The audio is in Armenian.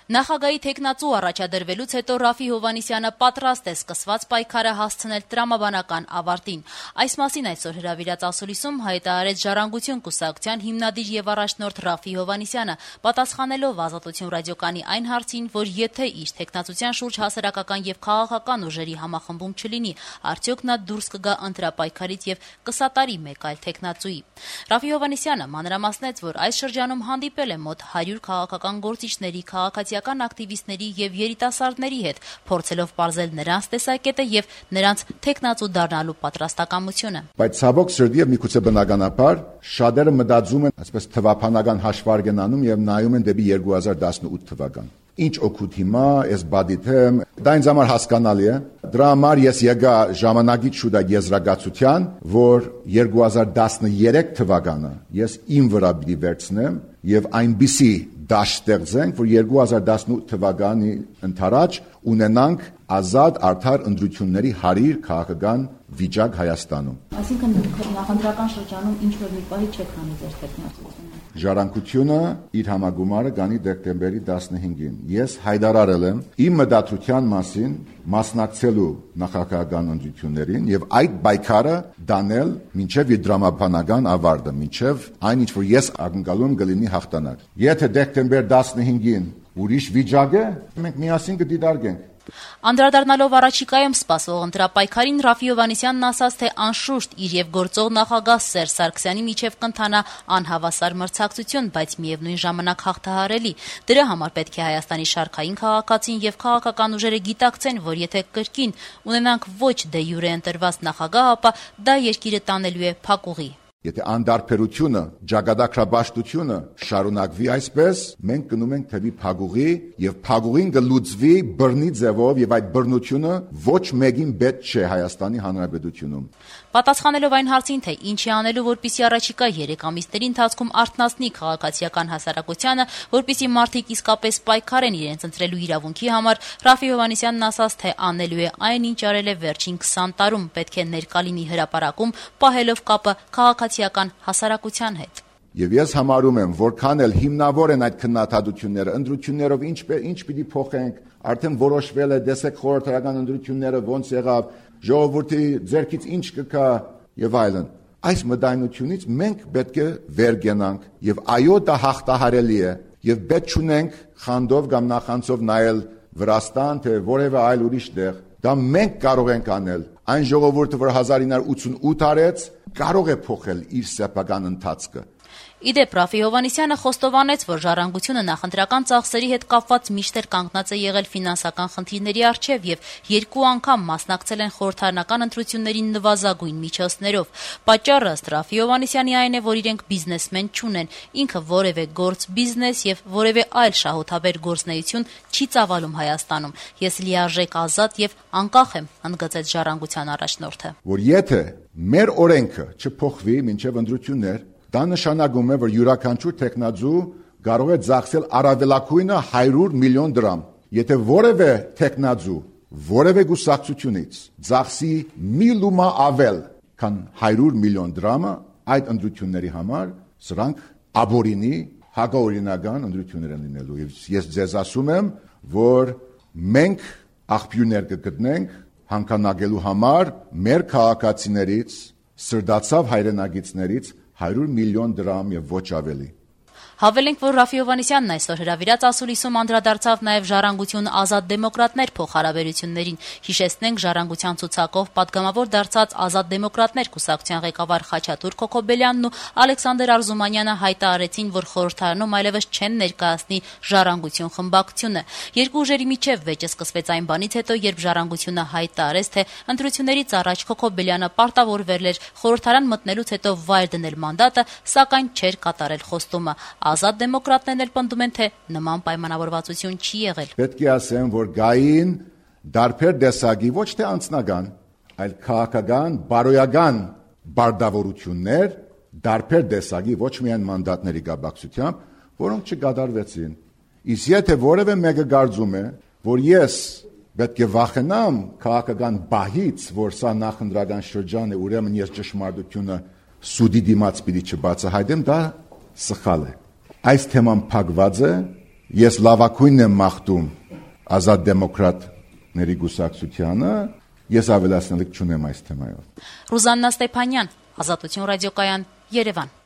Նախագահի թեկնածու առաջադրվելուց հետո Ռաֆի Հովհաննիսյանը պատրաստ է սկսված պայքարը հասցնել տրամաբանական ավարտին։ Այս մասին այսօր հրավիրած ասուլիսում հայտարարեց Ժառանգություն կուսակցության հիմնադիր եւ առաջնորդ Ռաֆի Հովհաննիսյանը, պատասխանելով Ազատություն ռադիոկայանի այն հարցին, որ եթե իր թեկնածության շուրջ հասարակական եւ քաղաքական ուժերի համախմբում չլինի, արդյոք նա դուրս կգա ընտրապայքարից եւ կսատարի մեկ այլ թեկնածուի։ Ռաֆի Հովհաննիսյանը մանրամասնեց, որ այս շրջանում հանդիպել է մոտ 100 քաղաքական գործիչների, քաղաքացիական ակտիվիստների եւ երիտասարդների հետ, փորձելով պարզել նրանց տեսակետը եւ նրանց թեկնածու դառնալու պատրաստակամությունը։ Բայց ցավոք սրտի եւ միգուցե բնականաբար շատերը մտածում են, այսպես թվափանական հաշվարկ են անում եւ նայում են դեպի 2018 թվական։ Ինչ օգուտ հիմա ես բադիթեմ, դա ինձ համար հասկանալի է։ Դրա համար ես եկա ժամանակից շուտ այդ եզրակացության, որ 2013 թվականը ես իմ վրա պիտի վերցնեմ եւ այնպիսի դաշտ ստեղծենք, որ 2018 թվականի ընթരാճ ունենանք ազատ արդար ընտրությունների 100 քաղաքական վիճակ Հայաստանում։ Այսինքն նախընտրական շրջանում ինչ որ մի պահի չեք հանի ձեր թեկնածությունը։ Ժառանգությունը իր համագումարը կանի դեկտեմբերի 15-ին։ Ես հայտարարել եմ իմ մտադրության մասին մասնակցելու նախագահական ընտրություններին եւ այդ պայքարը դանել մինչեւ իր դրամաբանական ավարտը, մինչեւ այն ինչ որ ես ակնկալում կլինի հաղթանակ։ Եթե դեկտեմբեր 15-ին ուրիշ վիճակ է, մենք միասին կդիտարկենք։ Անդրադառնալով առաջիկայում սպասվող ընտրապայքարին, Ռաֆի Հովհաննիսյանն ասաց, թե անշուշտ իր եւ գործող նախագահ Սերժ Սարգսյանի միջև կընթանա անհավասար մրցակցություն, բայց միևնույն ժամանակ հաղթահարելի։ Դրա համար պետք է Հայաստանի շարքային քաղաքացին եւ քաղաքական ուժերը գիտակցեն, որ եթե կրկին ունենանք ոչ դե յուրե ընտրված նախագահ, ապա դա երկիրը տանելու է փակուղի։ Եթե անդարբերությունը, ջագադակրաբաշխությունը շարունակվի այսպես, մենք գնում ենք թեպի փակուղի եւ փակուղին կլուծվի բռնի ձևով եւ այդ բռնությունը ոչ մեկին պետք չէ Հայաստանի Հանրապետությունում։ Պատասխանելով այն հարցին, թե ինչ է անելու, որպեսզի առաջիկա 3 ամիսների ընթացքում արթնացնի քաղաքացիական հասարակությանը, որպեսզի մարդիկ իսկապես պայքարեն իրենց ընտրելու իրավունքի համար, Ռաֆի Հովհաննիսյանն ասաց, թե անելու է այն, ինչ արել է վերջին 20 տարում, պետք է ներկա լինի հրապարակում, պահելով կապը քաղաքացիական հասարակության հետ։ Եվ ես համարում եմ, որքան էլ հիմնավոր են այդ քննադատությունները, ընտրություններով ինչ պիտի փոխենք, արդեն որոշվել է, տեսեք խորհրդարական ընտրությունները ոնց եղավ, ժողովրդի ձեռքից ինչ կգա եւ այլն։ Այս մտայնությունից մենք պետք է վեր գնանք եւ այո, դա հաղթահարելի է եւ պետք չունենք խանդով կամ նախանցով նայել Վրաստան թե որևէ այլ ուրիշ տեղ։ Դա մենք կարող ենք անել։ Այն ժողովուրդը, որ 1988 արեց, կարող է փոխել իր սեփական ընթացքը։ Իդեպ Ռաֆի Հովհաննիսյանը խոստովանեց, որ Ժառանգությունը նախընտրական ծախսերի հետ կապված միշտ կանգնած է եղել ֆինանսական խնդիրների առջև եւ 2 անգամ մասնակցել են խորհրդարանական ընտրություններին նվազագույն միջոցներով։ Պատճառը ըստ Ռաֆի Հովհաննիսյանի այն է, որ իրենք բիզնեսմեն չունեն, ինքը որևէ գործ բիզնես եւ որևէ այլ շահութաբեր գործնեություն չի ծավալում Հայաստանում։ Ես լիարժեք ազատ եւ անկախ եմ, ընդգծեց Ժառանգության առաջնորդը։ Որ եթե մեր օրենքը չփոխվի մինչեւ ընտրություններ, դա նշանակում է, որ յուրաքանչյուր տեխնազու կարող է ծախսել առավելագույնը 100 միլիոն դրամ։ Եթե որևէ տեխնազու, որևէ գուսակցությունից ծախսի մի լումա ավել, քան 100 միլիոն դրամը այդ ընտրությունների համար, սրանք աբորինի հակաօրինական ընտրություններ են լինելու։ Եվ ես ձեզ ասում եմ, որ մենք աղբյուրներ կգտնենք հանքանակելու համար մեր քաղաքացիներից, սրտացավ հայրենագիցներից 100 միլիոն դրամ եւ ոչ ավելի։ Հավելենք, որ Ռաֆի Հովհաննիսյանն այսօր հրավիրած ասուլիսում անդրադարձավ նաև Ժառանգություն ազատ դեմոկրատներ փոխհարաբերություններին։ Հիշեցնենք, Ժառանգության ցուցակով պատգամավոր դարձած ազատ դեմոկրատներ կուսակցության ղեկավար Խաչատուր Քոքոբելյանն ու Ալեքսանդր Արզումանյանը հայտարարեցին, որ խորհրդարանում այլևս չեն ներկայացնի Ժառանգություն խմբակցությունը։ Երկու ուժերի միջև վեճը սկսվեց այն բանից հետո, երբ Ժառանգությունը հայտարարեց, թե ընտրություններից առաջ Քոքոբելյանը պարտավորվել էր խորհրդարան մտնելուց հետո վայր դնել մանդատը, սակայն չէր կատարել խոստումը։ Ազատ դեմոկրատներն էլ պնդում են, թե նման պայմանավորվածություն չի եղել։ Պետք է ասեմ, որ գային դարբեր տեսակի ոչ թե անձնական, այլ քաղաքական, բարոյական բարդավորություններ, դարբեր տեսակի ոչ միայն մանդատների կապակցությամբ, որոնք չկատարվեցին։ Իսկ եթե որևէ մեկը կարծում է, որ ես պետք է վախենամ քաղաքական բահից, որ սա նախընտրական շրջան է, ուրեմն ես ճշմարտությունը սուդի դիմաց պիտի չբացահայտեմ, դա սխալ է։ Այս թեման փակված է ես լավակույնն եմ մաղթում ազատ դեմոկրատների գուսակցությանը, ես ավելացնելիք չունեմ այս թեմայով։ Ռուզաննա Ստեփանյան, Ազատություն ռադիոկայան, Երևան։